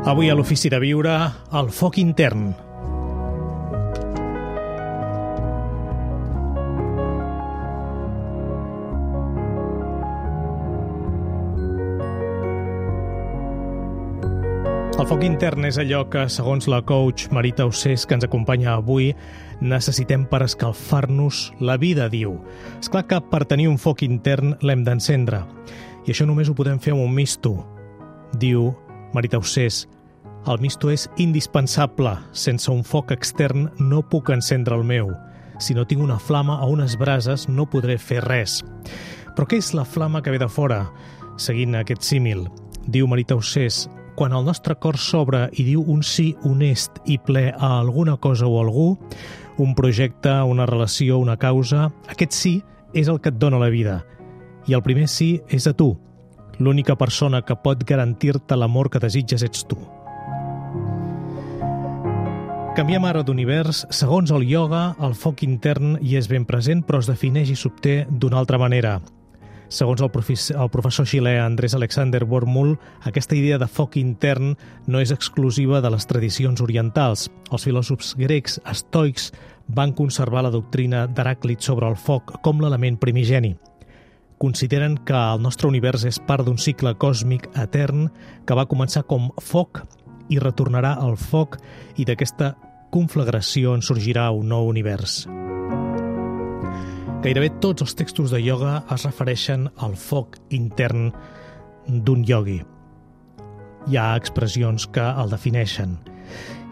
Avui a l'Ofici de Viure, el foc intern. El foc intern és allò que, segons la coach Marita Ossés, que ens acompanya avui, necessitem per escalfar-nos la vida, diu. És clar que per tenir un foc intern l'hem d'encendre. I això només ho podem fer amb un misto. Diu Marita Ossés, el misto és indispensable. Sense un foc extern no puc encendre el meu. Si no tinc una flama o unes brases no podré fer res. Però què és la flama que ve de fora? Seguint aquest símil, diu Marita Ossés, quan el nostre cor s'obre i diu un sí honest i ple a alguna cosa o algú, un projecte, una relació, una causa, aquest sí és el que et dona la vida. I el primer sí és a tu. L'única persona que pot garantir-te l'amor que desitges ets tu. Canviem ara d'univers. Segons el ioga, el foc intern hi és ben present, però es defineix i s'obté d'una altra manera. Segons el professor xilè Andrés Alexander Wormul, aquesta idea de foc intern no és exclusiva de les tradicions orientals. Els filòsofs grecs estoics van conservar la doctrina d'Heràclit sobre el foc com l'element primigeni. Consideren que el nostre univers és part d'un cicle còsmic etern que va començar com foc i retornarà al foc, i d'aquesta conflagració en sorgirà un nou univers. Gairebé tots els textos de ioga es refereixen al foc intern d'un iogui. Hi ha expressions que el defineixen.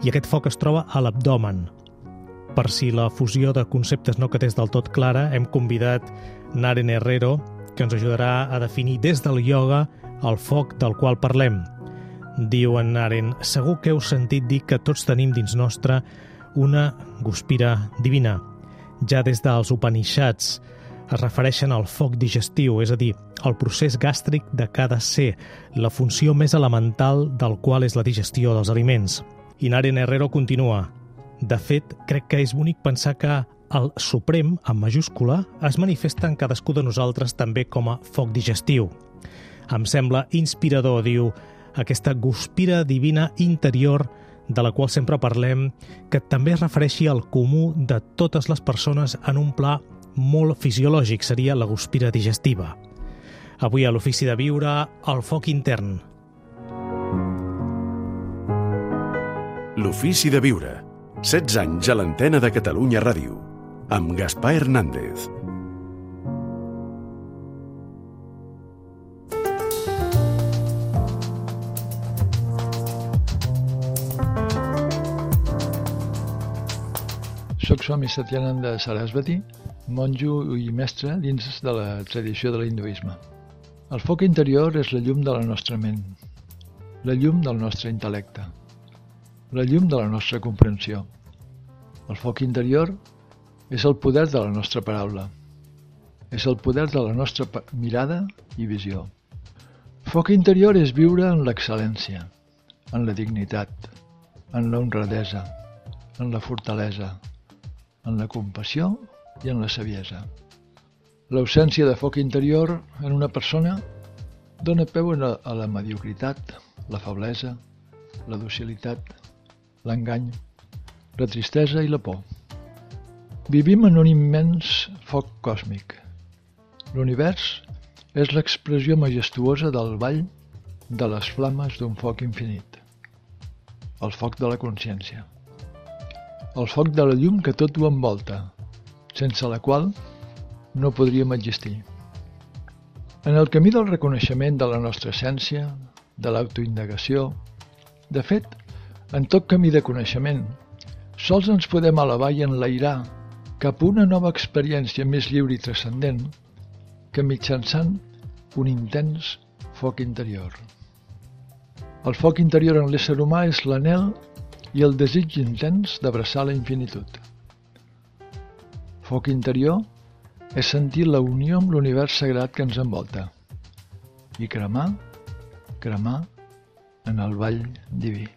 I aquest foc es troba a l'abdomen. Per si la fusió de conceptes no quedés del tot clara, hem convidat Naren Herrero, que ens ajudarà a definir des del ioga el foc del qual parlem. Diu en Naren, segur que heu sentit dir que tots tenim dins nostre una guspira divina. Ja des dels Upanishads es refereixen al foc digestiu, és a dir, al procés gàstric de cada ser, la funció més elemental del qual és la digestió dels aliments. I Naren Herrero continua. De fet, crec que és bonic pensar que el Suprem, en majúscula, es manifesta en cadascú de nosaltres també com a foc digestiu. Em sembla inspirador, diu, aquesta guspira divina interior de la qual sempre parlem, que també es refereixi al comú de totes les persones en un pla molt fisiològic, seria la guspira digestiva. Avui a l'Ofici de Viure, el foc intern. L'Ofici de Viure. 16 anys a l'antena de Catalunya Ràdio. Amb Gaspar Hernández. Soc Swami Satyananda Sarasvati, monjo i mestre dins de la tradició de l'hinduisme. El foc interior és la llum de la nostra ment, la llum del nostre intel·lecte, la llum de la nostra comprensió. El foc interior és el poder de la nostra paraula, és el poder de la nostra mirada i visió. Foc interior és viure en l'excel·lència, en la dignitat, en la honradesa, en la fortalesa, en la compassió i en la saviesa. L'ausència de foc interior en una persona dona peu a la mediocritat, la feblesa, la docilitat, l'engany, la tristesa i la por. Vivim en un immens foc còsmic. L'univers és l'expressió majestuosa del ball de les flames d'un foc infinit. El foc de la consciència. El foc de la llum que tot ho envolta, sense la qual no podríem existir. En el camí del reconeixement de la nostra essència, de l'autoindagació, de fet, en tot camí de coneixement, sols ens podem elevar i enlairar cap a una nova experiència més lliure i transcendent que mitjançant un intens foc interior. El foc interior en l'ésser humà és l'anhel i el desig intens d'abraçar la infinitud. Foc interior és sentir la unió amb l'univers sagrat que ens envolta i cremar en el ball diví.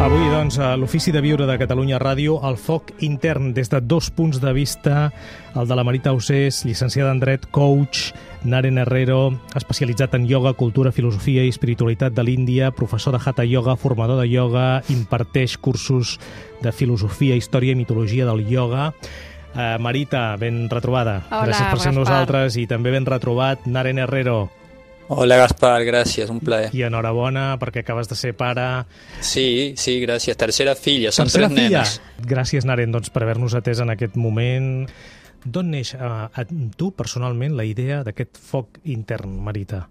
Avui, doncs, a l'Ofici de Viure de Catalunya Ràdio, el foc intern des de dos punts de vista, el de la Marita Ausés, llicenciada en dret, coach, Naren Herrero, especialitzat en ioga, cultura, filosofia i espiritualitat de l'Índia, professor de Hatha Yoga, formador de ioga, imparteix cursos de filosofia, història i mitologia del ioga. Marita, ben retrobada. Hola, gràcies per ser Gaspar. nosaltres i també ben retrobat Naren Herrero. Hola Gaspar, gràcies, un plaer. I enhorabona perquè acabes de ser pare. Sí, gràcies. Tercera filla, són Tercera tres filla. nenes. Gràcies, Naren, doncs, per haver-nos atès en aquest moment. D'on neix a tu, personalment, la idea d'aquest foc intern, Marita?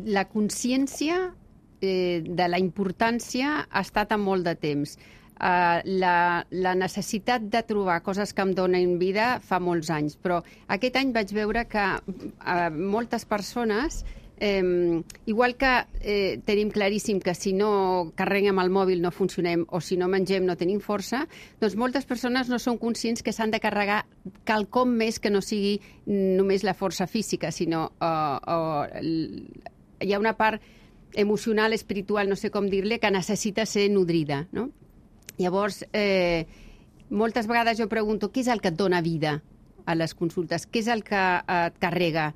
La consciència de la importància ha estat a molt de temps. La necessitat de trobar coses que em donen vida fa molts anys, però aquest any vaig veure que moltes persones, igual que tenim claríssim que si no carreguem el mòbil no funcionem o si no mengem no tenim força, doncs moltes persones no són conscients que s'han de carregar quelcom més que no sigui només la força física, sinó hi ha una part emocional, espiritual, no sé com dir-li, que necessita ser nodrida, no? Llavors, moltes vegades jo pregunto què és el que et dona vida a les consultes, què és el que et carrega,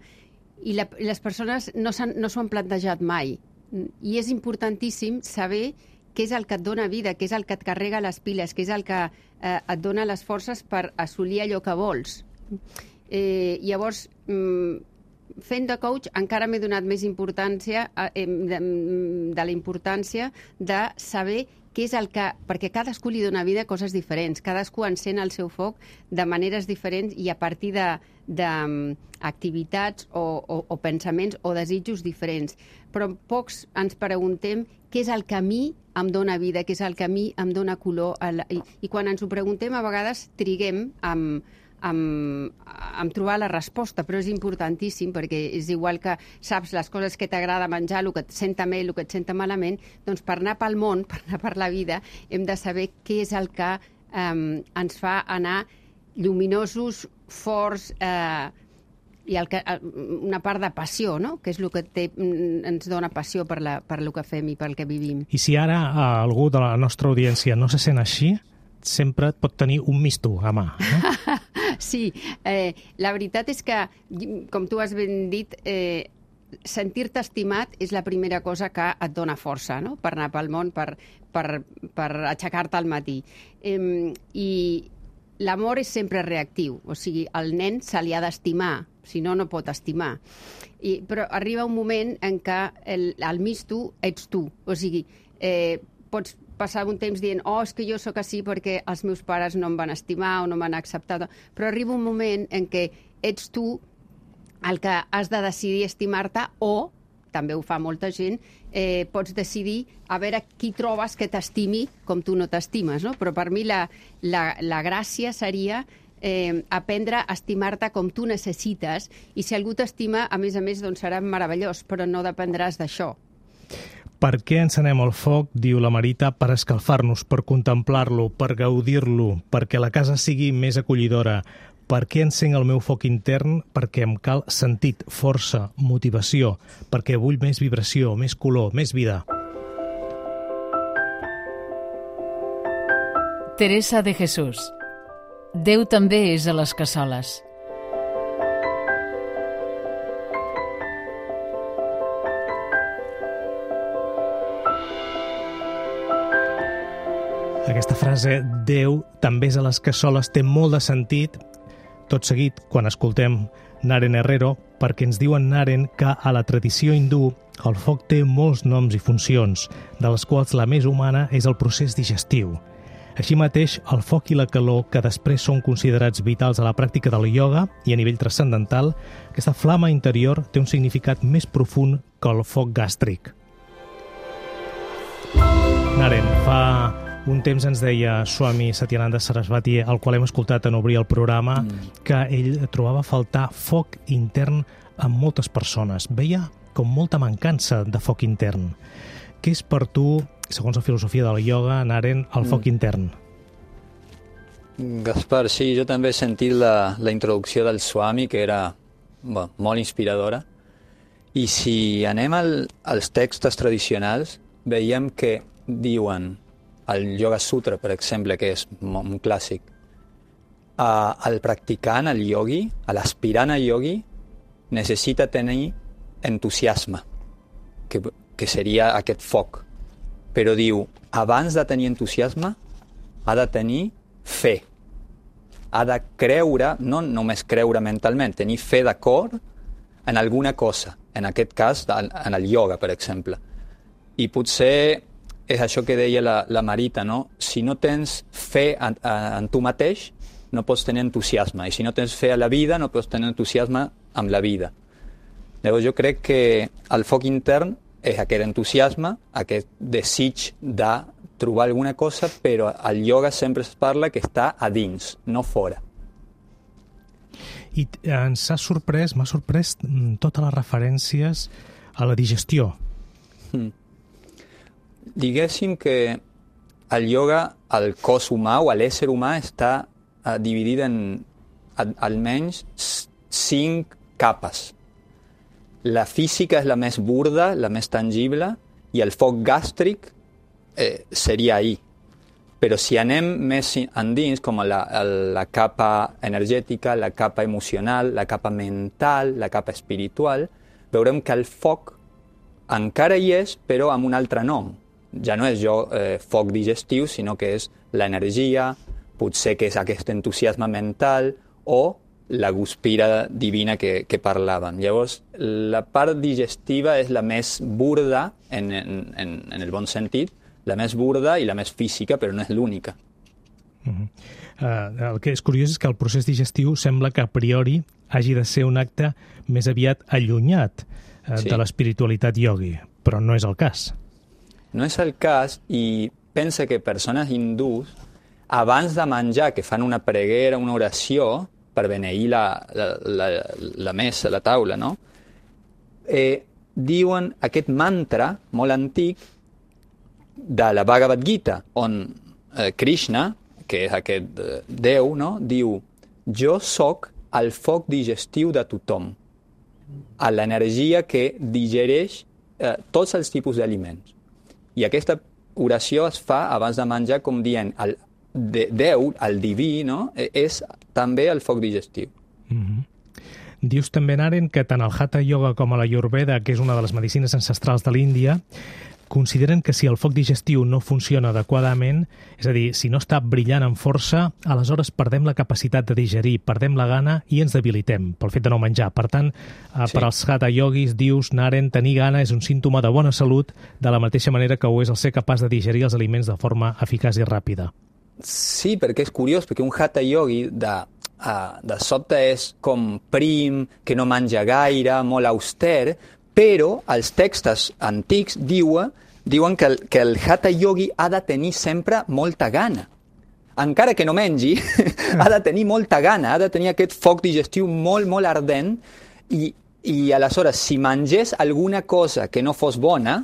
i les persones no s'ho han plantejat mai. I és importantíssim saber què és el que et dona vida, què és el que et carrega les piles, què és el que et dona les forces per assolir allò que vols. Llavors, fent de coach encara m'he donat més importància de la importància de saber què és el que... Perquè cadascú li dona vida a coses diferents, cadascú encén el seu foc de maneres diferents i a partir d'activitats o pensaments o desitjos diferents. Però pocs ens preguntem què és el que a mi em dona vida, què és el que a mi em dona color. I quan ens ho preguntem, a vegades triguem amb trobar la resposta, però és importantíssim perquè és igual que saps les coses que t'agrada menjar, el que et senta bé, el que et senta malament, doncs per anar pel món, per anar per la vida, hem de saber què és el que ens fa anar lluminosos, forts, i una part de passió, no? Que és el que ens dona passió per el que fem i pel que vivim. I si ara algú de la nostra audiència no se sent així, sempre et pot tenir un misto a mà, no? Sí, la veritat és que, com tu has ben dit, sentir-te estimat és la primera cosa que et dona força, no? Per anar pel món, per aixecar-te al matí. I l'amor és sempre reactiu, o sigui, al nen se li ha d'estimar, si no, no pot estimar. Però arriba un moment en què el misto ets tu, o sigui, pots passar un temps dient és que jo sóc així perquè els meus pares no em van estimar o no m'han acceptat, però arriba un moment en què ets tu el que has de decidir estimar-te o, també ho fa molta gent, pots decidir a veure qui trobes que t'estimi com tu no t'estimes, no? Però per mi la gràcia seria aprendre a estimar-te com tu necessites i si algú t'estima, a més, doncs serà meravellós, però no dependràs d'això. Per què encenem el foc, diu la Marita, per escalfar-nos, per contemplar-lo, per gaudir-lo, perquè la casa sigui més acollidora. Per què encenc el meu foc intern? Perquè em cal sentit, força, motivació, perquè vull més vibració, més color, més vida. Teresa de Jesús. Déu també és a les cassoles. Aquesta frase, Déu també és a les cassoles, té molt de sentit, tot seguit, quan escoltem Naren Herrero, perquè ens diuen Naren que a la tradició hindú el foc té molts noms i funcions, de les quals la més humana és el procés digestiu. Així mateix, el foc i la calor, que després són considerats vitals a la pràctica del ioga i a nivell transcendental, aquesta flama interior té un significat més profund que el foc gàstric. Naren, fa un temps ens deia Swami Satyananda Sarasvati, al qual hem escoltat en obrir el programa, que ell trobava a faltar foc intern en moltes persones. Veia com molta mancança de foc intern. Què és per tu, segons la filosofia del ioga, Naren, el foc intern? Gaspar, sí, jo també he sentit la introducció del Swami, que era molt inspiradora. I si anem als textos tradicionals, veiem que diuen, el Yoga Sutra, per exemple, que és un clàssic, el practicant, el iogui, l'aspirant a iogui, necessita tenir entusiasme, que seria aquest foc. Però diu, abans de tenir entusiasme, ha de tenir fe. Ha de creure, no només creure mentalment, tenir fe de cor en alguna cosa. En aquest cas, en el ioga, per exemple. I potser és això que deia la Marita, no? Si no tens fe en tu mateix, no pots tenir entusiasme. I si no tens fe a la vida, no pots tenir entusiasme amb la vida. Llavors jo crec que el foc intern és aquest entusiasme, aquest desig de trobar alguna cosa, però al ioga sempre es parla que està a dins, no fora. I m'ha sorprès totes les referències a la digestió. Diguéssim que el ioga, el cos humà o l'ésser humà està dividit en almenys 5 capes. La física és la més burda, la més tangible, i el foc gàstric seria ahí. Però si anem més endins, com la capa energètica, la capa emocional, la capa mental, la capa espiritual, veurem que el foc encara hi és, però amb un altre nom. Ja no és foc digestiu, sinó que és l'energia, potser que és aquest entusiasme mental o la guspira divina que parlàvem. Llavors, la part digestiva és la més burda, en el bon sentit, la més burda i la més física, però no és l'única. El que és curiós és que el procés digestiu sembla que a priori hagi de ser un acte més aviat allunyat de l'espiritualitat iogui, però no és el cas. No és el cas, i pensa que persones hindús, abans de menjar, que fan una preguera, una oració, per beneir la mesa, la taula, no? Diuen aquest mantra molt antic de la Bhagavad Gita, on Krishna, que és aquest Déu, no? Diu, jo sóc el foc digestiu de tothom, a l'energia que digereix tots els tipus d'aliments. I aquesta oració es fa abans de menjar com dient, Déu, el diví, no? És també el foc digestiu. Dius també, Naren, que tant el Hatha Yoga com l'Ayurveda, que és una de les medicines ancestrals de l'Índia, consideren que si el foc digestiu no funciona adequadament, és a dir, si no està brillant amb força, aleshores perdem la capacitat de digerir, perdem la gana i ens debilitem pel fet de no menjar. Per tant, per als Hatha Yogis, dius, Naren, tenir gana és un símptoma de bona salut, de la mateixa manera que ho és el ser capaç de digerir els aliments de forma eficaç i ràpida. Sí, perquè és curiós, perquè un Hatha Yogi de sobte és com prim, que no menja gaire, molt auster, però els textos antics diuen que el Hatha Yogi ha de tenir sempre molta gana. Encara que no mengi, ha de tenir molta gana, ha de tenir aquest foc digestiu molt, molt ardent, i aleshores, si mengés alguna cosa que no fos bona,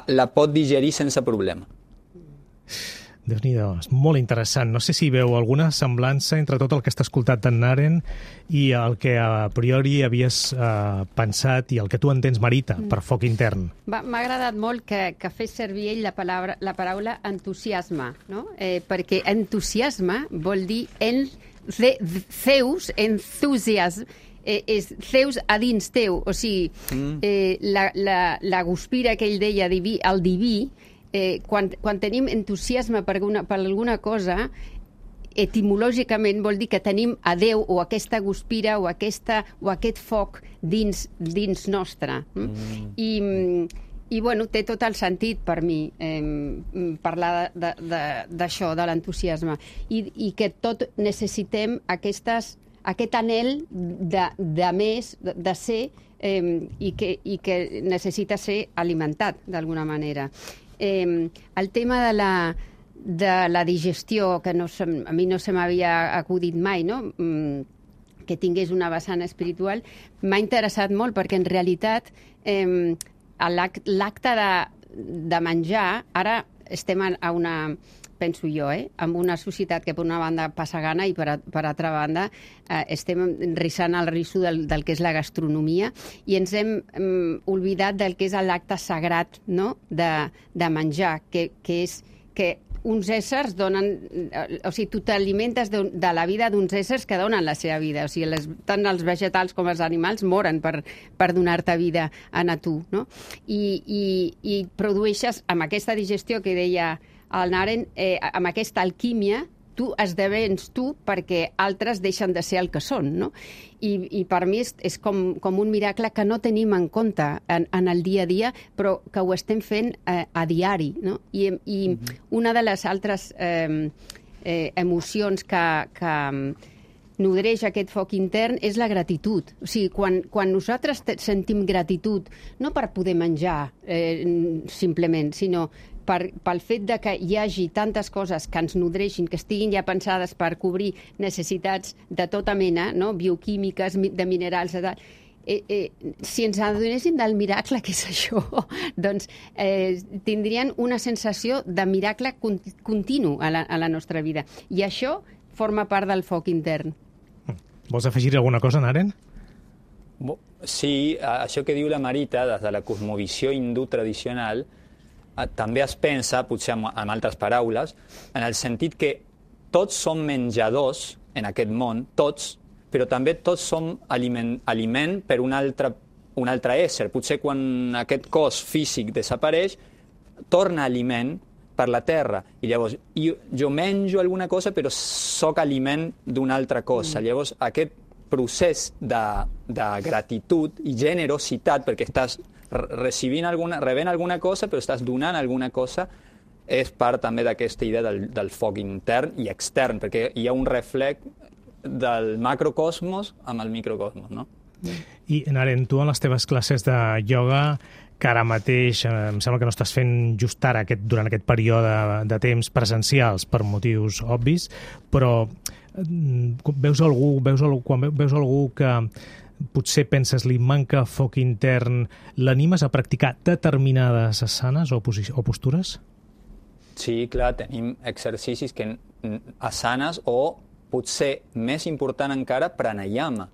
la pot digerir sense problema. Déu-n'hi-do, és molt interessant. No sé si veu alguna semblança entre tot el que està escoltat d'en Naren i el que a priori havies pensat i el que tu entens, Marita, per foc intern. M'ha agradat molt que fes servir ell la paraula entusiasme, no? Perquè entusiasme vol dir Zeus, entusiasme, és Zeus a dins teu, o sigui, la guspira que ell deia, el diví, quan tenim entusiasme per alguna cosa, etimològicament vol dir que tenim a Déu o aquesta guspira o aquest foc dins nostre. I bueno, té tot el sentit per mi parlar d'això, de l'entusiasme. I que tot necessitem aquest anhel de més, de ser, i que necessita ser alimentat d'alguna manera. El tema de la digestió, que a mi no se m'havia acudit mai, no? Que tingués una vessant espiritual, m'ha interessat molt, perquè en realitat l'acte de menjar, ara estem a penso jo, amb una societat que per una banda passa gana i per altra banda estem rissant el risso del que és la gastronomia i ens hem oblidat del que és l'acte sagrat, no?, de menjar, que és que uns éssers donen... O sigui, tu t'alimentes de la vida d'uns éssers que donen la seva vida. O sigui, tant els vegetals com els animals moren per donar-te vida a tu, no? I produeixes, amb aquesta digestió que deia el Naren, amb aquesta alquímia, tu esdevens tu perquè altres deixen de ser el que són, no? I per mi és com un miracle que no tenim en compte en el dia a dia, però que ho estem fent a diari, no? I una de les altres emocions que nodreix aquest foc intern és la gratitud. O sigui, quan nosaltres sentim gratitud, no per poder menjar simplement, sinó pel fet de que hi hagi tantes coses que ens nodreixin, que estiguin ja pensades per cobrir necessitats de tota mena, no?, bioquímiques, de minerals, de tal. Si ens adonéssim del miracle que és això, doncs tindrien una sensació de miracle continu a la nostra vida. I això forma part del foc intern. Vols afegir alguna cosa, Naren? Sí, això que diu la Marita, des de la cosmovisió hindú tradicional, també es pensa, potser amb altres paraules, en el sentit que tots som menjadors en aquest món, tots, però també tots som aliment per un altre ésser. Potser quan aquest cos físic desapareix, torna aliment per la terra. I llavors jo menjo alguna cosa, però sóc aliment d'una altra cosa. Llavors aquest procés de gratitud i generositat, perquè estàs rebent alguna cosa, però estàs donant alguna cosa, és part també d'aquesta idea del foc intern i extern, perquè hi ha un reflex del macrocosmos amb el microcosmos, no? I, Naren, tu en les teves classes de ioga, que ara mateix em sembla que no estàs fent just ara, durant aquest període de temps presencials per motius obvis, però veus algú que potser penses li manca foc intern, l'animes a practicar determinades asanes o postures? Sí, clar, tenim exercicis que asanes o, potser més important encara, pranayama,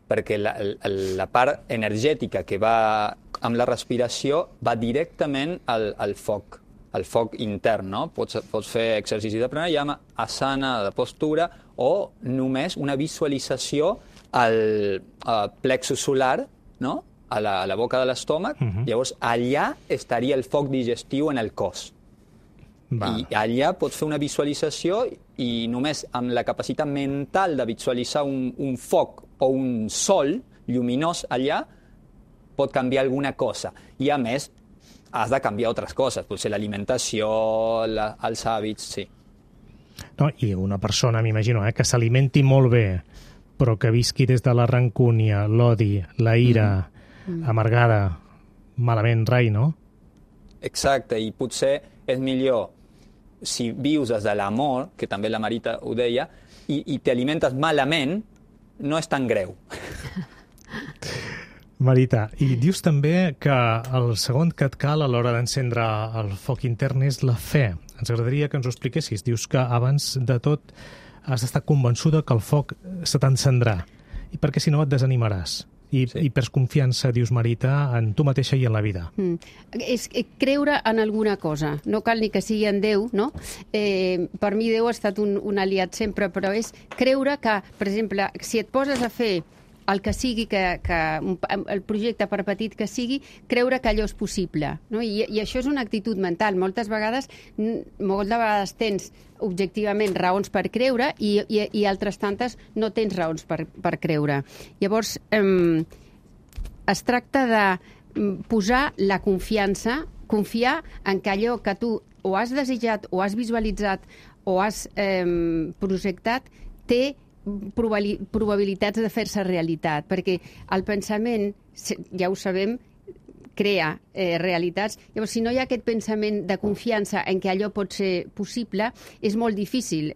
perquè la part energètica que va amb la respiració va directament al foc intern, no? Pots fer exercici de pranayama, asana, de postura, o només una visualització al plexus solar, no?, a la boca de l'estómac. Llavors allà estaria el foc digestiu en el cos. I allà pots fer una visualització i només amb la capacitat mental de visualitzar un foc o un sol lluminós allà pot canviar alguna cosa. I a més has de canviar altres coses, potser l'alimentació, els hàbits, sí. No, i una persona, m'imagino, que s'alimenti molt bé, però que visqui des de la rancúnia, l'odi, la ira, amargada, malament rai, no? Exacte, i potser és millor si vius des de l'amor, que també la Marita ho deia, i t'alimentes malament, no és tan greu. Marita, i dius també que el segon que et cal a l'hora d'encendre el foc intern és la fe. Ens agradaria que ens ho expliquessis. Dius que abans de tot has d'estar convençuda que el foc se t'encendrà, i perquè si no et desanimaràs. I perds confiança, dius, Marita, en tu mateixa i en la vida. És creure en alguna cosa. No cal ni que sigui en Déu, no? Per mi Déu ha estat un aliat sempre, però és creure que, per exemple, si et poses a fer el que sigui, el projecte, per petit que sigui, creure que allò és possible, no? I això és una actitud mental. Moltes vegades tens objectivament raons per creure i altres tantes no tens raons per creure. Llavors, es tracta de posar la confiança, confiar en que allò que tu o has desitjat o has visualitzat o has projectat té probabilitats de fer-se realitat, perquè el pensament, ja ho sabem, crea realitats. Llavors, si no hi ha aquest pensament de confiança en què allò pot ser possible, és molt difícil.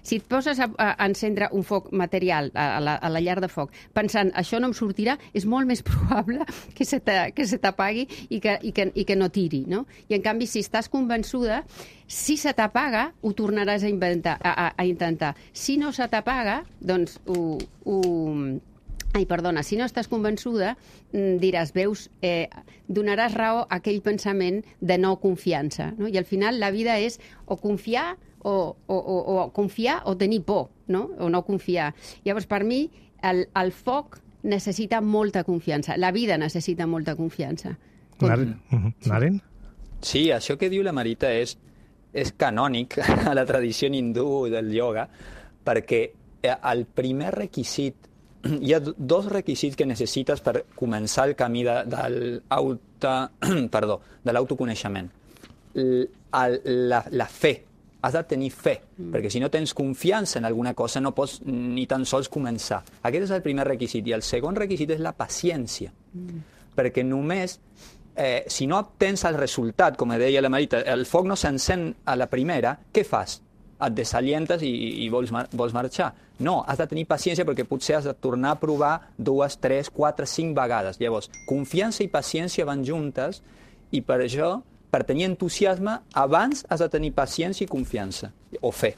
Si et poses a encendre un foc material a la llar de foc, pensant, això no em sortirà, és molt més probable que se t'apagui i que no tiri, no? I, en canvi, si estàs convençuda, si se t'apaga, ho tornaràs a intentar. Si no se t'apaga, doncs si no estàs convençuda, diràs, veus, donaràs raó a aquell pensament de no confiança, no? I al final la vida és o confiar o confiar o tenir por, no? O no confiar. Llavors, per mi, el foc necessita molta confiança. La vida necessita molta confiança. Naren? Sí, això que diu la Marita és canònic a la tradició hindú del ioga, perquè el primer requisit, hi ha dos requisits que necessites per començar el camí de l'autoconeixement. La fe. Has de tenir fe, perquè si no tens confiança en alguna cosa no pots ni tan sols començar. Aquest és el primer requisit. I el segon requisit és la paciència, perquè només si no obtens el resultat, com deia la Marita, el foc no s'encén a la primera, què fas? Et desalientes i vols marxar. No, has de tenir paciència perquè potser has de tornar a provar 2, 3, 4, 5 vegades. Llavors, confiança i paciència van juntes i per això, per tenir entusiasme, abans has de tenir paciència i confiança, o fe.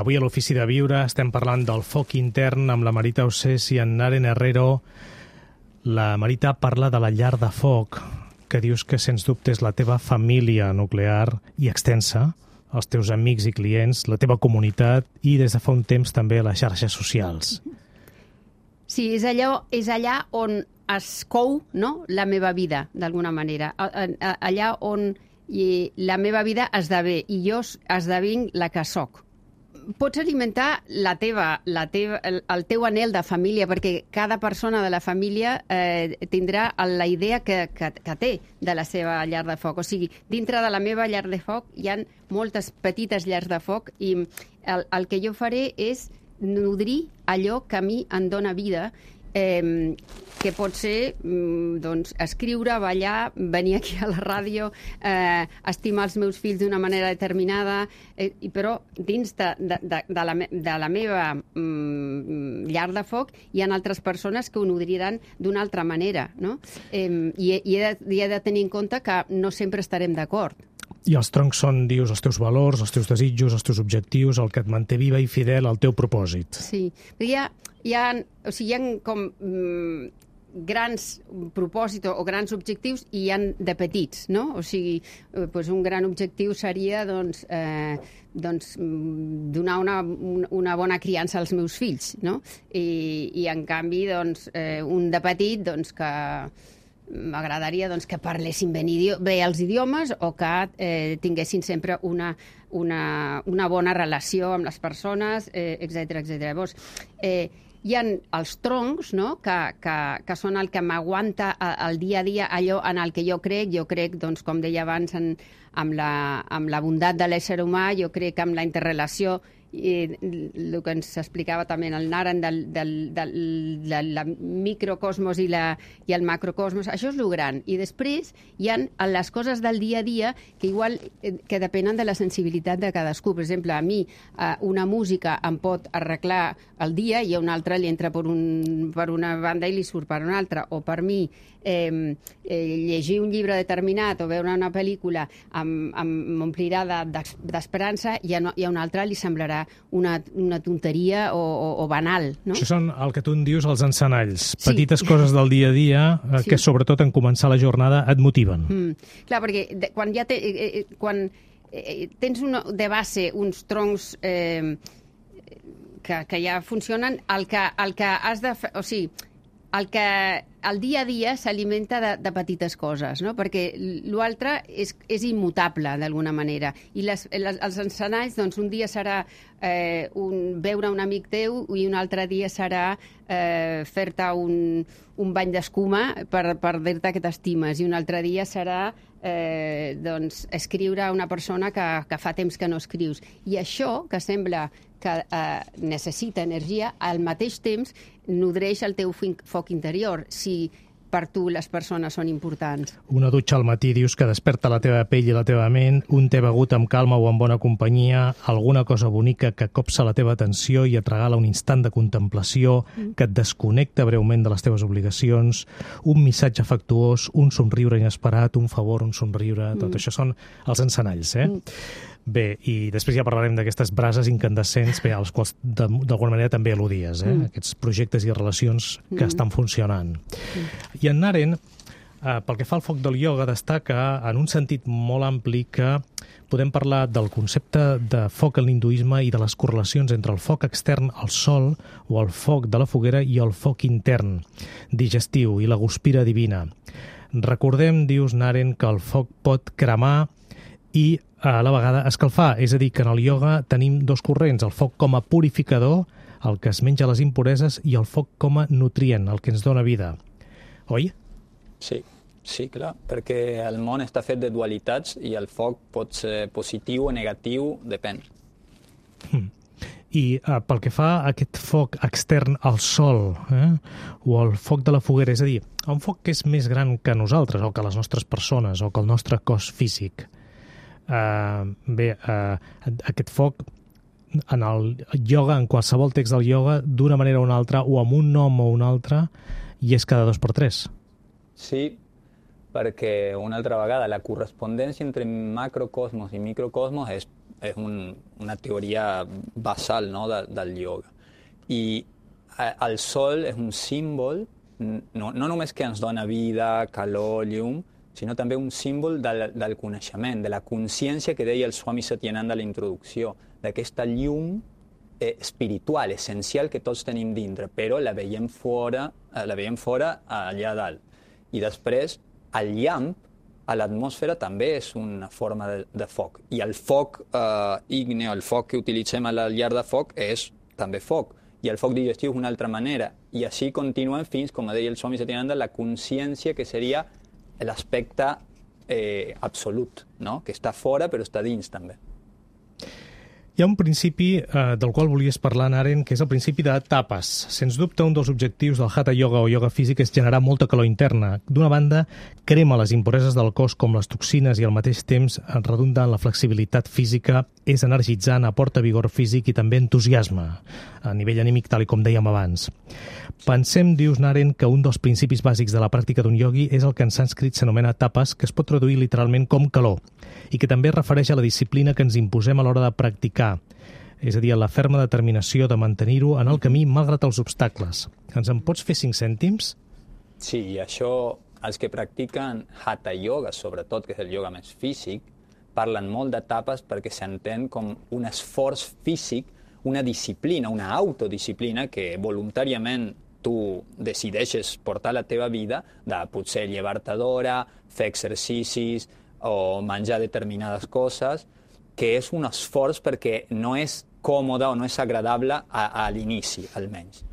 Avui a l'Ofici de Viure estem parlant del foc intern amb la Marita Ossés i en Naren Herrero. La Marita parla de la llar de foc, que dius que sens dubte és la teva família nuclear i extensa, els teus amics i clients, la teva comunitat i des de fa un temps també les xarxes socials. Sí, és allà on es cou, no?, la meva vida, d'alguna manera. Allà on la meva vida esdevé i jo esdevinc la que soc. Pots alimentar el teu anhel de família, perquè cada persona de la família tindrà la idea que té de la seva llar de foc. O sigui, dintre de la meva llar de foc hi ha moltes petites llars de foc i el que jo faré és nodrir allò que a mi em dóna vida, que pot ser doncs, escriure, ballar, venir aquí a la ràdio, estimar els meus fills d'una manera determinada, però dins de la meva llar de foc hi ha altres persones que ho nodriran d'una altra manera, no? I he de tenir en compte que no sempre estarem d'acord. I els troncs són, dius, els teus valors, els teus desitjos, els teus objectius, el que et manté viva i fidel al teu propòsit. Sí, hi ha com grans propòsits o grans objectius i hi ha de petits, no? O sigui, un gran objectiu seria donar una bona criança als meus fills, no? I en canvi, un de petit, que m'agradaria que parlessin bé els idiomes o que tinguessin sempre una bona relació amb les persones, etc. Llavors, hi ha els troncs, no?, que són el que m'aguanta el dia a dia, allò en el que jo crec, com deia abans, amb la bondat de l'ésser humà, jo crec en la interrelació, i el que ens explicava també el Naren del microcosmos i el macrocosmos, això és el gran. I després hi ha les coses del dia a dia que depenen de la sensibilitat de cadascú. Per exemple, a mi una música em pot arreglar el dia i a una altra li entra per una banda i li surt per una altra. O per mi llegir un llibre determinat o veure una pel·lícula m'omplirà d'esperança i a una altra li semblarà una tonteria o banal, no? Això són el que tu en dius els encenalls, petites coses del dia a dia que sobretot en començar la jornada et motiven. Clar, perquè quan tens de base uns troncs que ja funcionen, el que has de fer, o sigui, el dia a dia s'alimenta de petites coses, no? Perquè l'altre és immutable, d'alguna manera. I els encenalls, un dia serà veure un amic teu i un altre dia serà fer-te un bany d'escuma per dir-te que t'estimes, i un altre dia serà escriure a una persona que fa temps que no escrius. I això, que sembla que necessita energia, al mateix temps nodreix el teu foc interior. Si per tu les persones són importants? Una dutxa al matí dius que desperta la teva pell i la teva ment, un te begut amb calma o amb bona companyia, alguna cosa bonica que copsa la teva atenció i et regala un instant de contemplació, que et desconnecta breument de les teves obligacions, un missatge afectuós, un somriure inesperat, un favor, un somriure, tot això són els encenalls, Bé, i després ja parlarem d'aquestes brases incandescents als quals d'alguna manera també al·ludies, aquests projectes i relacions que estan funcionant. I en Naren, pel que fa al foc del ioga, destaca en un sentit molt ampli que podem parlar del concepte de foc en l'hinduisme i de les correlacions entre el foc extern al sol o el foc de la foguera i el foc intern, digestiu i la guspira divina. Recordem, dius Naren, que el foc pot cremar i a la vegada escalfar, és a dir, que en el ioga tenim dos corrents, el foc com a purificador, el que es menja les impureses, i el foc com a nutrient, el que ens dona vida. Oi? Sí, clar, perquè el món està fet de dualitats i el foc pot ser positiu o negatiu, depèn. I pel que fa a aquest foc extern al sol, o el foc de la foguera, és a dir, un foc que és més gran que nosaltres, o que les nostres persones, o que el nostre cos físic. Aquest foc en el ioga, en qualsevol text del ioga, d'una manera o una altra, o amb un nom o un altre, i és cada 2x3. Sí, perquè una altra vegada la correspondència entre macrocosmos i microcosmos és una teoria basal, no, del ioga. I el sol és un símbol, no només que ens dona vida, calor, llum, sinó també un símbol del coneixement, de la consciència que deia el Swami Satyananda a la introducció, d'aquesta llum espiritual, essencial que tots tenim dintre, però la veiem fora allà dalt. I després, el llamp a l'atmosfera també és una forma de foc. I el foc ígneo, el foc que utilitzem a la llar de foc, és també foc. I el foc digestiu és una altra manera. I així continuen fins, com deia el Swami Satyananda, la consciència que seria l'aspecte absolut, no? Que està fora però està dins també. Hi ha un principi del qual volies parlar, Naren, que és el principi de tapes. Sens dubte, un dels objectius del Hatha Yoga o ioga físic és generar molta calor interna. D'una banda, crema les impureses del cos com les toxines i al mateix temps redunda en la flexibilitat física, és energitzant, aporta vigor físic i també entusiasme a nivell anímic, tal com dèiem abans. Pensem, dius Naren, que un dels principis bàsics de la pràctica d'un iogui és el que en sànscrit s'anomena tapas, que es pot traduir literalment com calor, i que també es refereix a la disciplina que ens imposem a l'hora de practicar, és a dir, a la ferma determinació de mantenir-ho en el camí malgrat els obstacles. Ens en pots fer 5 cèntims? Sí, i això, els que practiquen Hatha Yoga, sobretot, que és el ioga més físic, parlen molt d'etapes perquè s'entén com un esforç físic, una disciplina, una autodisciplina que voluntàriament tu decideixes portar la teva vida, de potser llevar-te d'hora, fer exercicis o menjar determinades coses, que és un esforç perquè no és còmode o no és agradable a l'inici, almenys.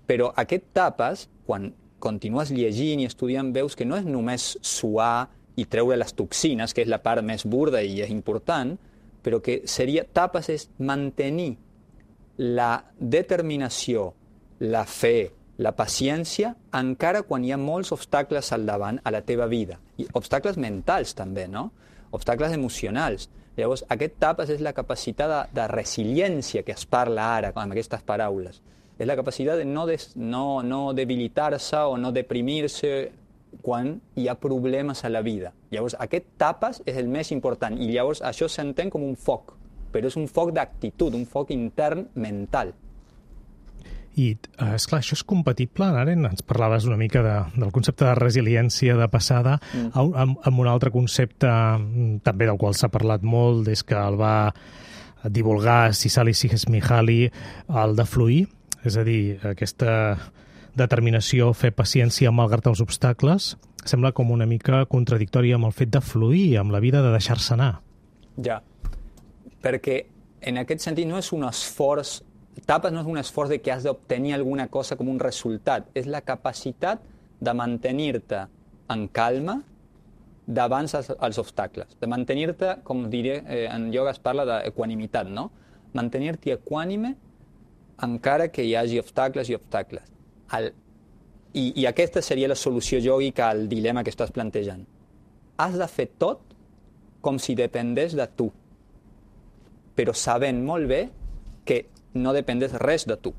Però aquest tapes, quan continues llegint i estudiant, veus que no és només suar i treure les toxines, que és la part més burda i és important, però que seria tapes és mantenir la determinació, la fe, la paciència, encara quan hi ha molts obstacles al davant a la teva vida. I obstacles mentals també, no? Obstacles emocionals. Llavors, aquest tapes és la capacitat de resiliència que es parla ara amb aquestes paraules. És la capacitat de no debilitar-se o no deprimir-se quan hi ha problemes a la vida. Llavors, aquest tapes és el més important i llavors això s'entén com un foc, però és un foc d'actitud, un foc intern mental. I, esclar, això és compatible, Naren? Ens parlaves una mica del concepte de resiliència de passada amb un altre concepte també del qual s'ha parlat molt des que el va divulgar Sisali Csikszentmihalyi, el de fluir, és a dir, aquesta determinació, fer paciència malgrat els obstacles, sembla com una mica contradictòria amb el fet de fluir, amb la vida de deixar-se anar. Ja, perquè en aquest sentit no és un esforç. Tapes no és un esforç de que has d'obtenir alguna cosa com un resultat, és la capacitat de mantenir-te en calma davant els obstacles, de mantenir-te, com diré, en ioga es parla d'equanimitat, no? Mantenir-te equànime encara que hi hagi obstacles i obstacles. I aquesta seria la solució yògica al dilema que estàs plantejant. Has de fer tot com si dependés de tu, però sabent molt bé que no dependés res de tu.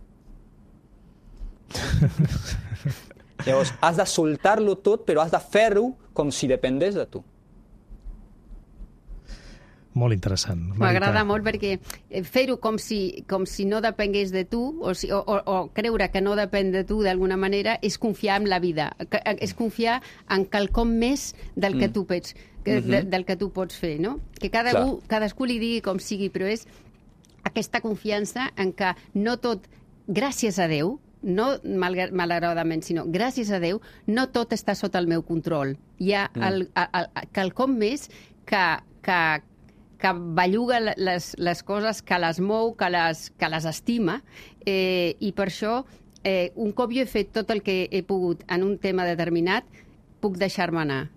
Llavors, has de soltar-lo tot, però has de fer-ho com si dependés de tu. Molt interessant. M'agrada molt perquè fer-ho com si no depengués de tu o creure que no depèn de tu d'alguna manera és confiar en la vida, és confiar en quelcom més del que tu pots, del que tu pots fer, no? Que cadascú li digui com sigui, però és aquesta confiança en que no tot, gràcies a Déu, no malauradament, sinó gràcies a Déu, no tot està sota el meu control. Hi ha quelcom més que belluga les coses, que les mou, que les estima, i per això, un cop jo he fet tot el que he pogut en un tema determinat, puc deixar-me anar.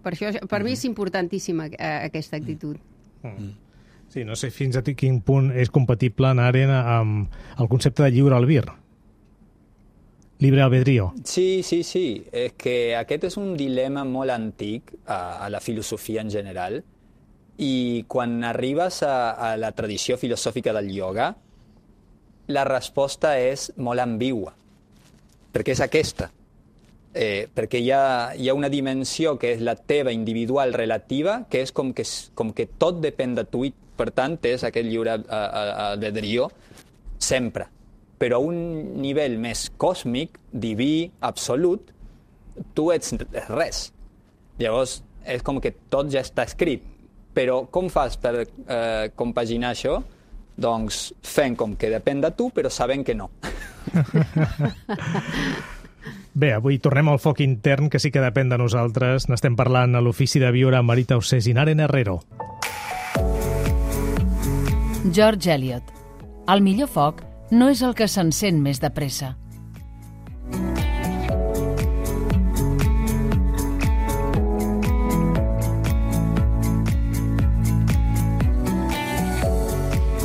Per això, per mi és importantíssima aquesta actitud. Sí, no sé fins a quin punt és compatible anar-hi amb el concepte de lliure albir. Libre albedrío. Sí. És que aquest és un dilema molt antic a la filosofia en general, i quan arribes a la tradició filosòfica del ioga, la resposta és molt ambigua, perquè és aquesta. Perquè hi ha una dimensió que és la teva individual relativa, que és com que tot depèn de tu i, per tant, és aquest lliure albedrío sempre. Però a un nivell més còsmic, diví, absolut, tu ets res. Llavors, és com que tot ja està escrit. Però com fas per compaginar això? Doncs fent com que depèn de tu, però sabent que no. Bé, avui tornem al foc intern, que sí que depèn de nosaltres. N'estem parlant a l'Ofici de Viure amb Marita Ossés i Naren Herrero. George Eliot. El millor foc no és el que s'encén més de pressa.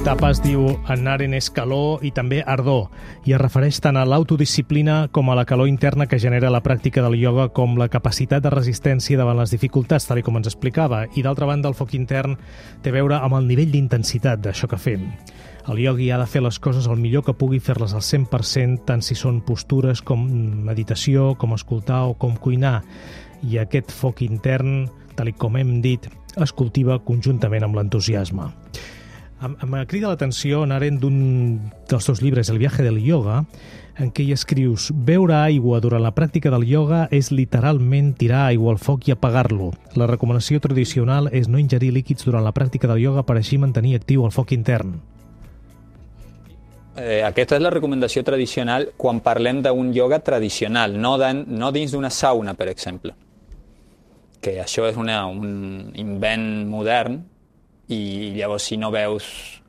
Tapas diu en Naren és calor i també ardor, i es refereix tant a l'autodisciplina com a la calor interna que genera la pràctica del ioga, com la capacitat de resistència davant les dificultats, tal com ens explicava. I d'altra banda, el foc intern té a veure amb el nivell d'intensitat d'això que fem. El iogui ha de fer les coses el millor que pugui, fer-les al 100%, tant si són postures com meditació, com escoltar o com cuinar. I aquest foc intern, tal com hem dit, es cultiva conjuntament amb l'entusiasme. Em crida l'atenció, Naren, d'un dels teus llibres, El viaje del yoga, en què hi escrius: beure aigua durant la pràctica del yoga és literalment tirar aigua al foc i apagar-lo. La recomanació tradicional és no ingerir líquids durant la pràctica del yoga per així mantenir actiu el foc intern. Aquesta és la recomanació tradicional quan parlem d'un yoga tradicional, no dins d'una sauna, per exemple. Que això és un invent modern, i llavors si no veus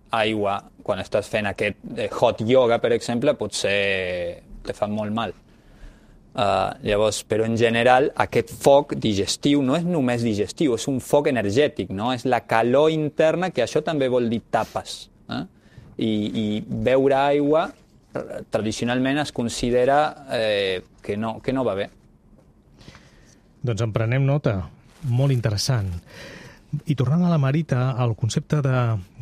aigua quan estàs fent aquest hot yoga, per exemple, potser te fa molt mal. Llavors, però en general aquest foc digestiu no és només digestiu, és un foc energètic, no? És la calor interna, que això també vol dir tapes. I beure aigua tradicionalment es considera que no va bé. Doncs en prenem nota. Molt interessant. I tornant a la Marita, el concepte de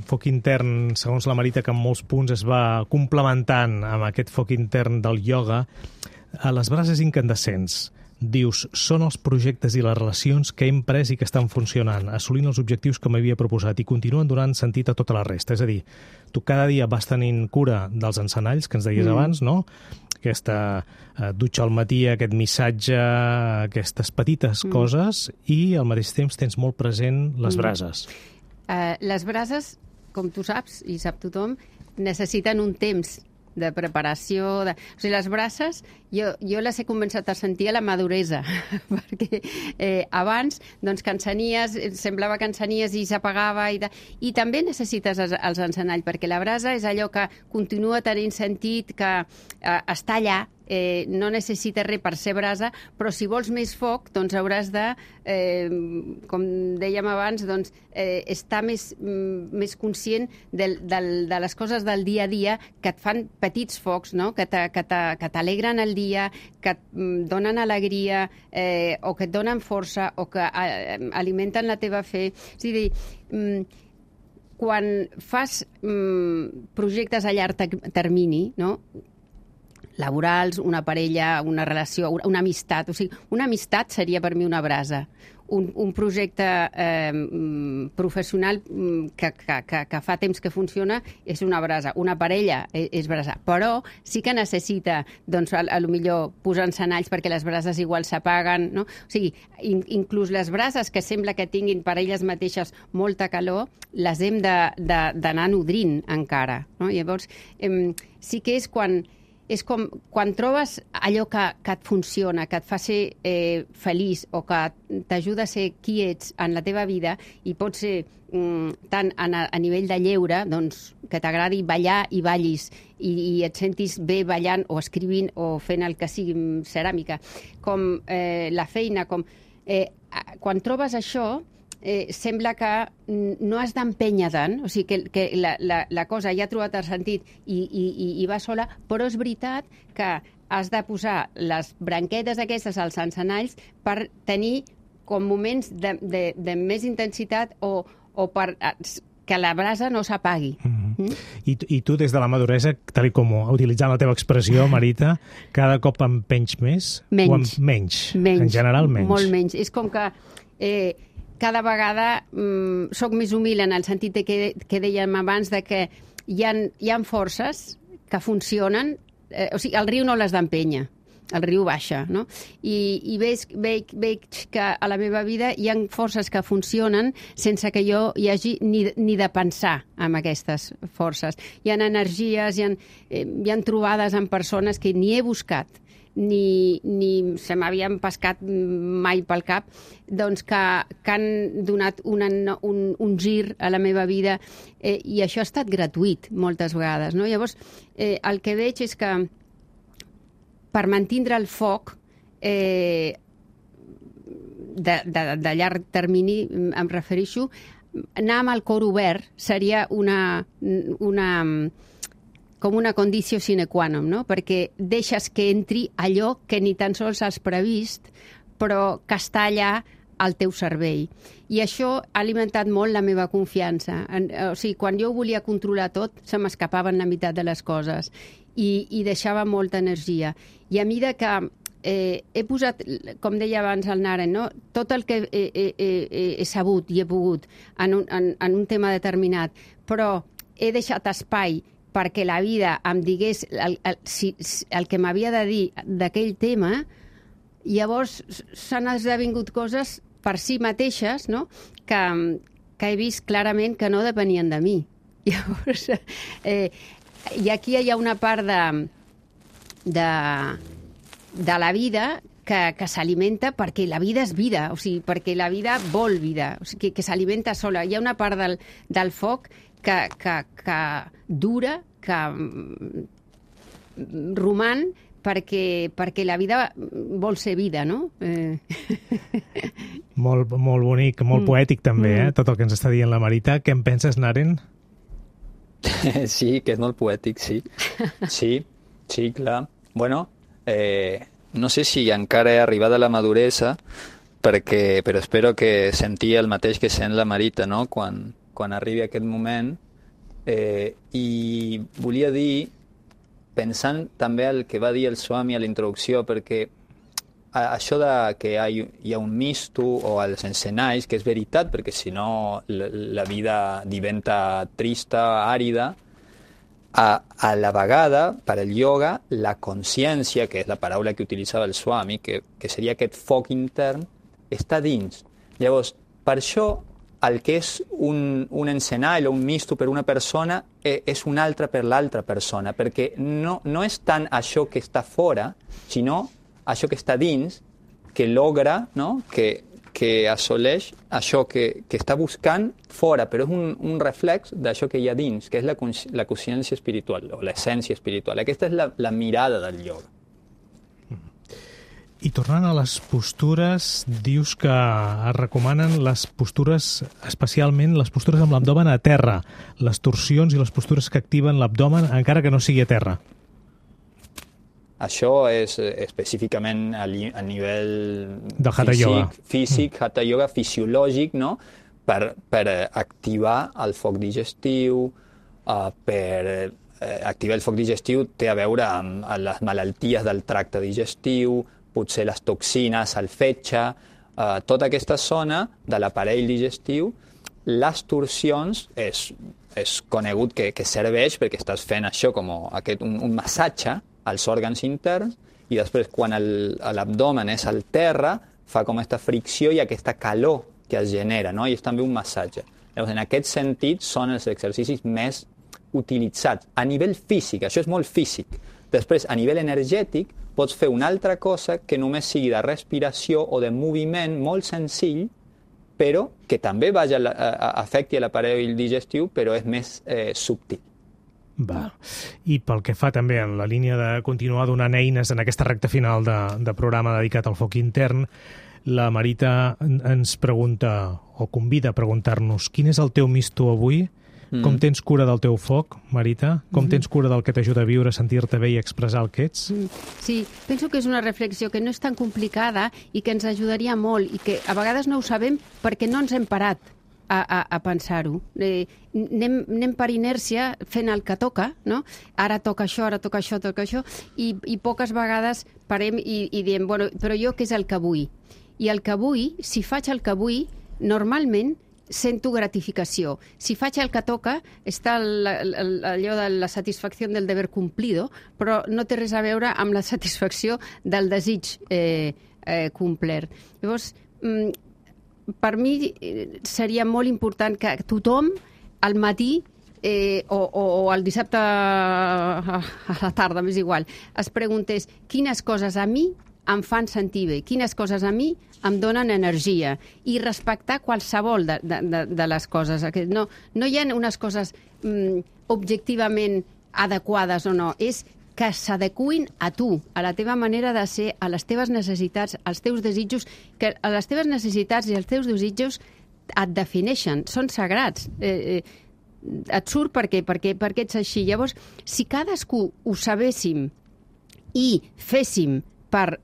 foc intern, segons la Marita, que en molts punts es va complementant amb aquest foc intern del ioga, a les brases incandescents, dius, són els projectes i les relacions que hem pres i que estan funcionant, assolint els objectius que m'havia proposat i continuen donant sentit a tota la resta. És a dir, tu cada dia vas tenint cura dels encenalls, que ens deies abans, no? Aquesta dutxa al matí, aquest missatge, aquestes petites coses, i al mateix temps tens molt present les brases. Les brases, com tu saps, i sap tothom, necessiten un temps de preparació. O sigui, les brases, jo les he començat a sentir a la maduresa, perquè abans, doncs, que encenies, semblava que encenies i s'apagava, i també necessites els encenalls, perquè la brasa és allò que continua tenint sentit, que està allà, no necessita res per ser brasa, però si vols més foc, doncs hauràs de, com dèiem abans, doncs, estar més conscient de les coses del dia a dia que et fan petits focs, no? Que t'alegren el dia dia, que et donen alegria, o que et donen força, o que alimenten la teva fe. És a dir, quan fas projectes a llarg termini, no?, laborals, una parella, una relació, una amistat. O sigui, una amistat seria per mi una brasa. Un projecte professional que fa temps que funciona és una brasa. Una parella és brasa. Però sí que necessita, doncs, a lo millor posar encenalls perquè les brases igual s'apaguen, no? O sigui, inclús les brases que sembla que tinguin per elles mateixes molta calor, les hem d'anar nodrint encara, no? Llavors, sí que és com quan trobes allò que et funciona, que et fa ser feliç o que t'ajuda a ser qui ets en la teva vida, i pot ser tant a nivell de lleure, doncs, que t'agradi ballar i ballis i et sentis bé ballant o escrivint o fent el que sigui, ceràmica, com la feina, com... Quan trobes això, sembla que no has d'empènyer tant, o sigui que la cosa ja ha trobat el sentit i va sola, però és veritat que has de posar les branquetes aquestes als encenalls per tenir com moments de més intensitat o per que la brasa no s'apagui. I tu, des de la maduresa, tal com utilitzant la teva expressió, Marita, cada cop empenys més? Menys. Menys. En general, menys. Molt menys. És com que cada vegada soc més humil en el sentit que dèiem abans, de que hi ha forces que funcionen, o sigui, el riu no les d'empènyer, el riu baixa, no? I veig que a la meva vida hi ha forces que funcionen sense que jo hi hagi ni de pensar en aquestes forces. Hi ha energies, hi ha trobades amb persones que ni he buscat, ni se m'havien pescat mai pel cap, doncs que han donat un gir a la meva vida, i això ha estat gratuït moltes vegades, no? Llavors, el que veig és que per mantindre el foc de llarg termini, em refereixo, anar amb el cor obert seria com una condició sine qua non, no? Perquè deixes que entri allò que ni tan sols has previst, però que està allà al teu cervell. I això ha alimentat molt la meva confiança. O sigui, quan jo volia controlar tot, se m'escapaven la meitat de les coses i deixava molta energia. I a mesura que he posat, com deia abans el Naren, no?, tot el que he sabut i he pogut en un tema determinat, però he deixat espai perquè la vida em digués el que m'havia de dir d'aquell tema, llavors s'han esdevingut coses per si mateixes, no?, que he vist clarament que no depenien de mi. Llavors, i aquí hi ha una part de la vida que s'alimenta perquè la vida és vida, o sigui, perquè la vida vol vida, o sigui, que s'alimenta sola. Hi ha una part del foc que dura, que roman, perquè la vida vol ser vida, no? Molt bonic, molt poètic també, tot el que ens està dient la Marita. Què en penses, Naren? Sí, que és molt poètic, sí. Sí, clar. Bueno, no sé si encara he arribat a la maduresa, però espero que sentia el mateix que sent la Marita, no?, quan arribi aquest moment. I volia dir, pensant també el que va dir el Swami a la introducció, perquè això de que hi ha un misto o els encenalls, que és veritat, perquè si no la vida diventa trista, àrida, a la vegada, per al ioga, la consciència, que és la paraula que utilitzava el Swami, que seria aquest foc intern, està dins. Llavors, per això, el que és un encenall o un misto per una persona és un altre per l'altra persona, perquè no és tant això que està fora, sinó això que està dins, que logra, no?, que assoleix això que està buscant fora, però és un reflex d'això que hi ha dins, que és la consciència espiritual, o l'essència espiritual. Aquesta és la mirada del ioga. I tornant a les postures, dius que es recomanen les postures, especialment les postures amb l'abdomen a terra, les torsions i les postures que activen l'abdomen encara que no sigui a terra. Això és específicament a nivell de Hatha Yoga. Físic, Hatha Yoga fisiològic, no? Per activar el foc digestiu, per activar el foc digestiu té a veure amb les malalties del tracte digestiu, potser les toxines, el fetge, tota aquesta zona de l'aparell digestiu. Les torsions és conegut que serveix perquè estàs fent això com un massatge als òrgans interns i després quan l'abdomen és al terra fa com aquesta fricció i aquesta calor que es genera, no? I és també un massatge. Llavors, en aquest sentit són els exercicis més utilitzats a nivell físic, això és molt físic. Després, a nivell energètic, pots fer una altra cosa que només sigui de respiració o de moviment molt senzill, però que també afecti l'aparell digestiu, però és més subtil. Va. I pel que fa també en la línia de continuar donant eines en aquesta recta final de programa dedicat al foc intern, la Marita ens pregunta, o convida a preguntar-nos, quin és el teu misto avui? Com tens cura del teu foc, Marita? Com tens cura del que t'ajuda a viure, sentir-te bé i expressar el que ets? Sí, penso que és una reflexió que no és tan complicada i que ens ajudaria molt i que a vegades no ho sabem perquè no ens hem parat a pensar-ho. Anem per inèrcia fent el que toca, no? Ara toca això, i poques vegades parem i diem, bueno, però jo què és el que vull? I el que vull, si faig el que vull, normalment sento gratificació. Si faig el que toca, està allò de la satisfacció del deber cumplido, però no té res a veure amb la satisfacció del desig complert. Llavors, per mi seria molt important que tothom al matí o el dissabte a la tarda, m'és igual, es preguntés quines coses a mi em fan sentir bé, quines coses a mi em donen energia i respectar qualsevol de les coses. No hi ha unes coses objectivament adequades o no, és que s'adecuïn a tu, a la teva manera de ser, a les teves necessitats, als teus desitjos, que a les teves necessitats i els teus desitjos et defineixen, són sagrats. Et surt perquè ets així. Llavors, si cadascú ho sabéssim i féssim per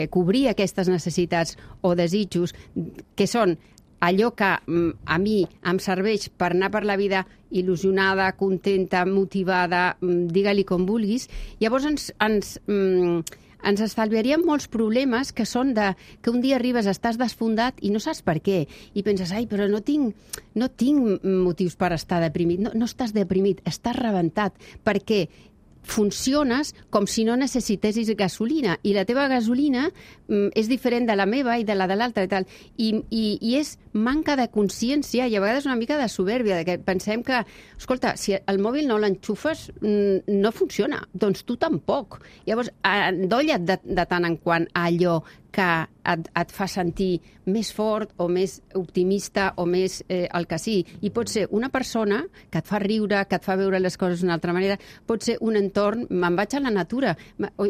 cobrir aquestes necessitats o desitjos, que són allò que a mi em serveix per anar per la vida il·lusionada, contenta, motivada, digue-li com vulguis, llavors ens estalviaríem molts problemes que són que un dia arribes, estàs desfondat i no saps per què. I penses, però no tinc motius per estar deprimit. No estàs deprimit, estàs rebentat. Per què? Funciones com si no necessitessis gasolina i la teva gasolina és diferent de la meva i de la de l'altra i tal. I és manca de consciència i a vegades una mica de supèrbia, que pensem que, escolta, si el mòbil no l'enxufes no funciona, doncs tu tampoc. Llavors, endolla't de tant en quant a allò que et fa sentir més fort o més optimista o més el que sí. I pot ser una persona que et fa riure, que et fa veure les coses d'una altra manera, pot ser un entorn, me'n vaig a la natura.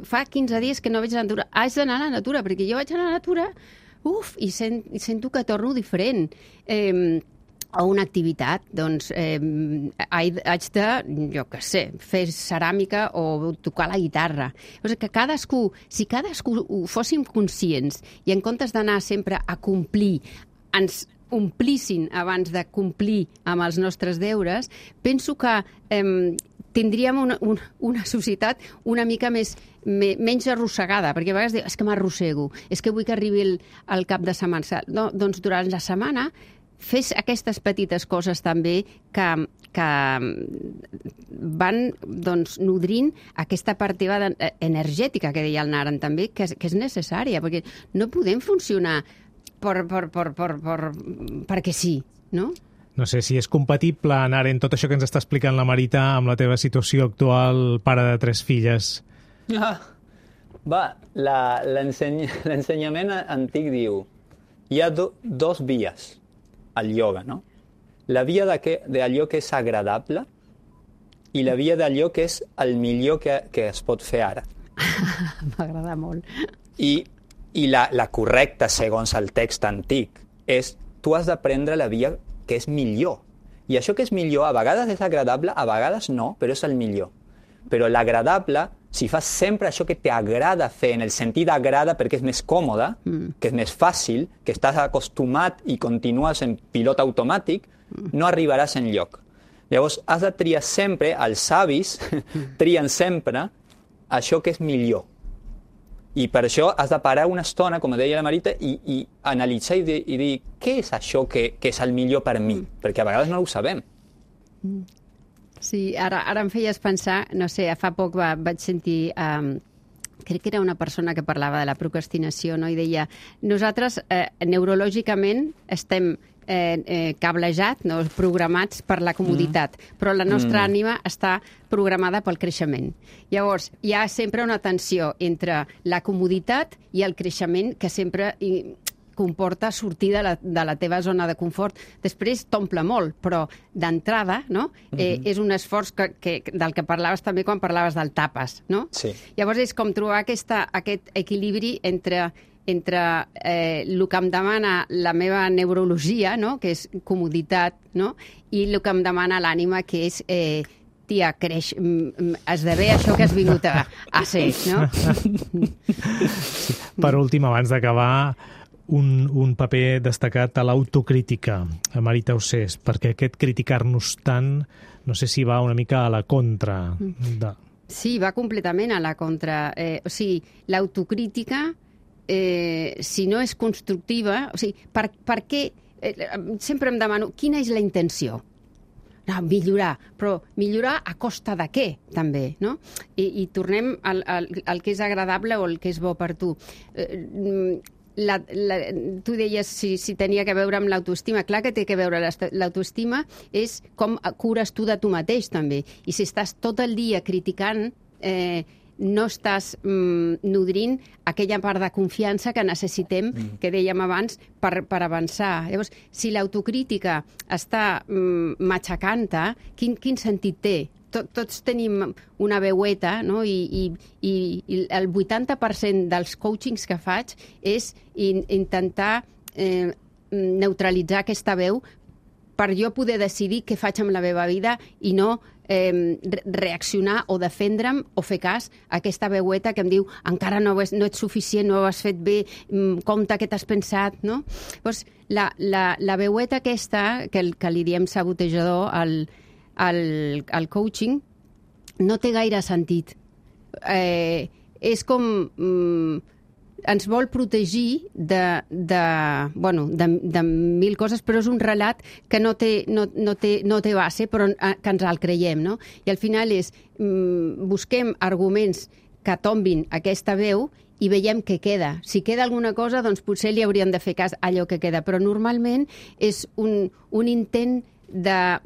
Fa 15 dies que no veig la natura. Haig d'anar a la natura, perquè jo vaig a la natura i sento que torno diferent. O una activitat, doncs haig de, jo què sé, fer ceràmica o tocar la guitarra. O sigui que si cadascú ho fóssim conscients i en comptes d'anar sempre a complir, ens omplissin abans de complir amb els nostres deures, penso que tindríem una societat una mica menys arrossegada, perquè a vegades dius, és que m'arrossego, és que vull que arribi el cap de setmana. No, doncs durant la setmana fes aquestes petites coses també que van nodrint aquesta part teva energètica que deia el Naran també, que és necessària, perquè no podem funcionar perquè sí, no? No sé si és compatible, Naren, tot això que ens està explicant la Marita amb la teva situació actual, pare de 3 filles. L'ensenyament antic diu hi ha dos vies al ioga, no? La via d'allò que és agradable i la via d'allò que és el millor que es pot fer ara. M'agrada molt. I la correcta, segons el text antic, és tu has d'aprendre la via que és millor. I això que és millor a vegades és agradable, a vegades no, però és el millor. Però l'agradable si fas sempre això que t'agrada fer, en el sentit agrada perquè és més còmode, que és més fàcil, que estàs acostumat i continues en pilot automàtic, no arribaràs enlloc. Llavors, has de triar sempre, els savis trien sempre això que és millor. I per això has de parar una estona, com deia la Marita, i analitzar i dir què és això que és el millor per mi? Perquè a vegades no ho sabem. Sí, ara em feies pensar, no sé, fa poc vaig sentir, crec que era una persona que parlava de la procrastinació, no? I deia, nosaltres neurològicament estem cablejats, no? Programats per la comoditat, però la nostra ànima està programada pel creixement. Llavors, hi ha sempre una tensió entre la comoditat i el creixement que sempre comporta sortir de la teva zona de confort. Després t'omple molt, però d'entrada, no? És un esforç del que parlaves també quan parlaves del tapes, no? Sí. Llavors és com trobar aquest equilibri entre el que em demana la meva neurologia, no? Que és comoditat, no? I el que em demana l'ànima, que és tia, creix, esdevé això que has vingut a ser, no? Per últim, abans d'acabar, un paper destacat a l'autocrítica, a Marita Ossés, perquè aquest criticar-nos tant, no sé si va una mica a la contra. Sí, va completament a la contra. O sigui, l'autocrítica, si no és constructiva, o sigui, per què? Sempre em demano, quina és la intenció? No, millorar, però millorar a costa de què, també, no? I tornem al que és agradable o el que és bo per tu. Tu deies si tenia que veure amb l'autoestima. Clar que té que veure. L'autoestima és com cures tu de tu mateix, també. I si estàs tot el dia criticant, no estàs nodrint aquella part de confiança que necessitem, que dèiem abans, per avançar. Llavors, si l'autocrítica està matxacant-te, quin sentit té? Tots tenim una veueta, no? I el 80% dels coachings que faig és intentar neutralitzar aquesta veu per jo poder decidir què faig amb la meva vida i no reaccionar o defendre'm o fer cas a aquesta veueta que em diu encara no ets suficient, no ho has fet bé, compte què t'has pensat, no? Llavors, la veueta aquesta, que li diem sabotejador al coaching, no té gaire sentit. És com... ens vol protegir de mil coses, però és un relat que no té base, però que ens el creiem, no? I al final és, busquem arguments que tombin aquesta veu i veiem què queda. Si queda alguna cosa, doncs potser li hauríem de fer cas a allò que queda, però normalment és un intent de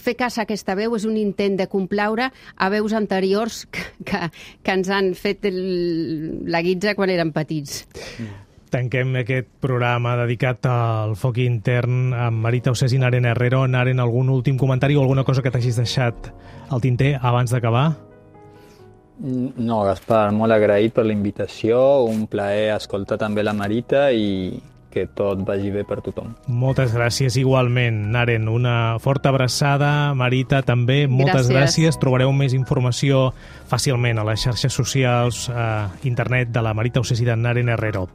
fer cas a aquesta veu, és un intent de complaure a veus anteriors que ens han fet la guitza quan érem petits. Tanquem aquest programa dedicat al foc intern amb Marita Ossés i Naren Herrero. Naren, algun últim comentari o alguna cosa que t'hagis deixat al tinter abans d'acabar? No, Gaspar, molt agraït per la invitació, un plaer escoltar també la Marita i que tot vagi bé per tothom. Moltes gràcies igualment, Naren. Una forta abraçada. Marita, també, moltes gràcies. Trobareu més informació fàcilment a les xarxes socials, a internet de la Marita Ossés i de Naren Herrero.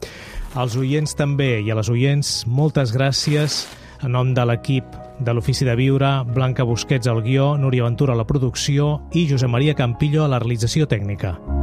Als oients també i a les oients, moltes gràcies. En nom de l'equip de l'Ofici de Viure, Blanca Busquets al guió, Núria Ventura a la producció i Josep Maria Campillo a la realització tècnica.